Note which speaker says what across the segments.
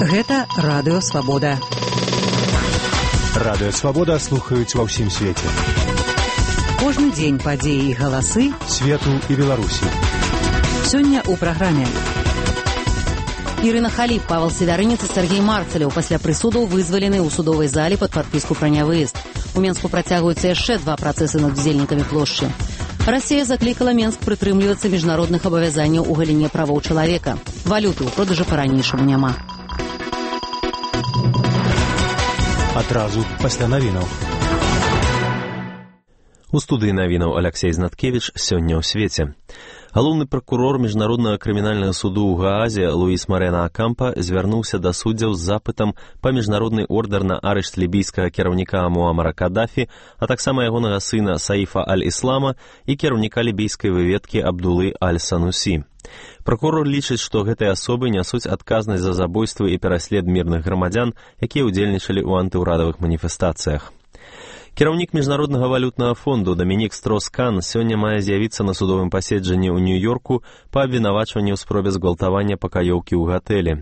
Speaker 1: Гэта Радыё Свабода.
Speaker 2: Радыё Свабода слухаюць ва ўсім свеце.
Speaker 1: Кожны дзень падзеі і галасы
Speaker 2: свету і Беларусі.
Speaker 1: Сёння ў праграме.
Speaker 3: Ірына Халіп, Павел Северынец і Сергей Марцелев пасля прысудаў вызвалены ў судовай зале пад падпіску пра нявыезд. У Менску працягваюцца яшчэ 2 працэсы над удзельнікамі плошчы. Расія заклікала Менск прытрымлівацца міжнародных абавязанняў у галіне правоў чалавека. Валюты ў продажы па-ранейшаму няма.
Speaker 2: Адразу пасля навінаў.
Speaker 4: У студыі навінаў Аляксей Знаткевіч сёння ў свеце. Галоўны пракурор Міжнароднага крымінальнага суду ў Гаазе Луіс Марена Акампа звярнуўся да суддзяў з запытам па міжнародны ордэр на арышт лібійскага кіраўніка Муамара Кадафі, а таксама ягонага сына Саіфа Аль-Іслама і кіраўніка лібійскай выведкі Абдулы Аль-Санусі. Пракурор лічыць, што гэтыя асобы нясуць адказнасць за забойствы і пераслед мірных грамадзян, якія ўдзельнічалі ў антыўрадавых маніфестацыях. Кіраўнік Міжнароднага валютнага фонду Дамінік Строс-Кан сёння мае з'явіцца на судовым паседжанні ў Нью-Йорку па абвінавачванні ў спробе згвалтавання пакаёўкі ў гатэлі.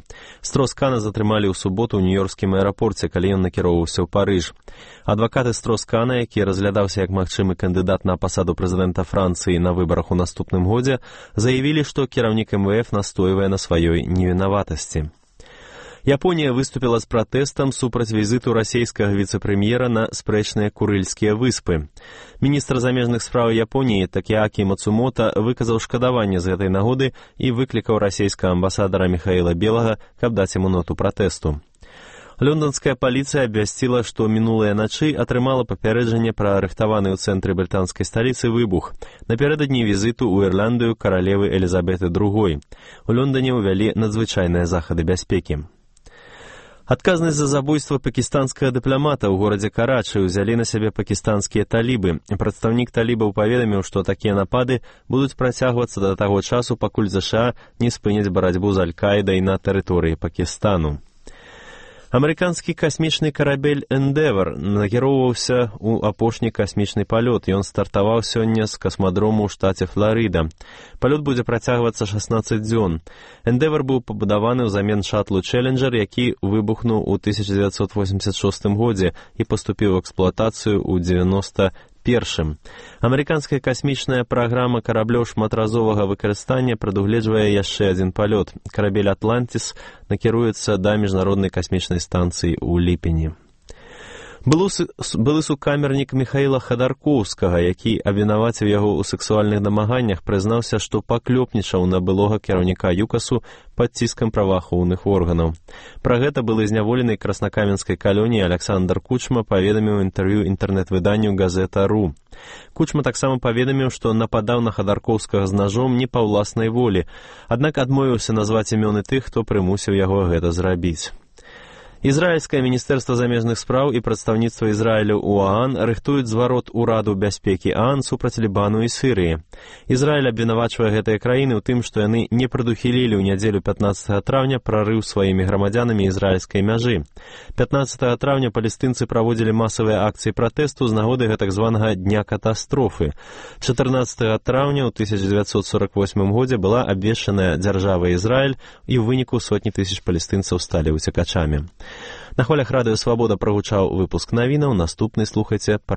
Speaker 4: Строс-Кана затрымалі ў суботу ў нью-йоркскім аэрапорце, калі ён накіроўваўся ў Парыж. Адвакаты Строс-Кана, які разглядаўся як магчымы кандыдат на пасаду прэзідэнта Францыі на выбарах у наступным годзе, заявілі, што кіраўнік МВФ настойвае на сваёй невінаватасці. Японія выступіла з пратэстам супраць візіту расійскага віцэ-прэм'ера на спрэчныя Курыльскія выспы. Міністр замежных спраў Японіі Такеакі Мацумота выказаў шкадаванне з гэтай нагоды і выклікаў расійскага амбасадара Міхаіла Белага, каб даць яму ноту пратэсту. Лондонская паліцыя абвясціла, што мінулыя начы атрымала папярэджанне пра рыхтаваны ў цэнтры брытанскай сталіцы выбух напярэдадні візіту ў Ірландыю каралевы Элізабеты II. У Лондоне ўвялі надзвычайныя захады бяспекі. Адказнасць за забойства пакістанскага дыпламата ў горадзе Карачы ўзялі на сябе пакістанскія талібы. Прадстаўнік талібаў паведаміў, што такія напады будуць працягвацца да таго часу, пакуль ЗША не спыняць барацьбу з Аль-Каідай на тэрыторыі Пакістану. Амерыканскі касмічны карабель «Эндевар» накіроўваўся ў апошні касмічны палёт. Ён стартаваў сёння з касмадрому ў штаце Фларыда. Палёт будзе працягвацца 16 дзён. «Эндевар» быў пабудаваны ўзамен шатлу «Челленджер», які выбухнуў у 1986 годзе і паступіў у эксплуатацыю ў 91-м. Амерыканская касмічная праграма караблёў шматразовага выкарыстання прадугледжвае яшчэ адзін палёт. Карабель «Атлантис» накіруецца да міжнароднай касмічнай станцыі ў ліпені. Былы сукамернік Міхаіла Хадаркоўскага, які абвінаваціў яго ў сексуальных дамаганнях, прызнаўся, што паклёпнічаў на былога кіраўніка ЮКАСу пад ціскам праваахоўных органаў. Пра гэта былы зняволены краснакаменскай калоніі Аляксандр Кучма паведаміў інтэрв'ю інтэрнэт-выданню «Газета.ру». Кучма таксама паведаміў, што нападаў на Хадаркоўскага з нажом не па ўласнай волі, аднак адмовіўся назваць імёны тых, хто прымусіў яго гэта зрабіць. Ізраільскае міністэрства замежных спраў і прадстаўніцтва Ізраілю ў ААН рыхтуюць зварот Ураду бяспекі ААН супраць Лібану і Сірыі. Ізраіль абвінавачвае гэтыя краіны ў тым, што яны не прадухілілі ў нядзелю 15 траўня прарыў сваімі грамадзянамі ізраільскай мяжы. 15 траўня палестынцы праводзілі масавыя акцыі пратэсту з нагоды гэтак званага Дня катастрофы. 14 траўня ў 1948 годзе была абвешчаная дзяржава Ізраіль і ў выніку сотні тысяч палестынцаў сталі уцекачамі. На хвалях Радыё Свабода прагучаў выпуск навінаў, наступны слухайце па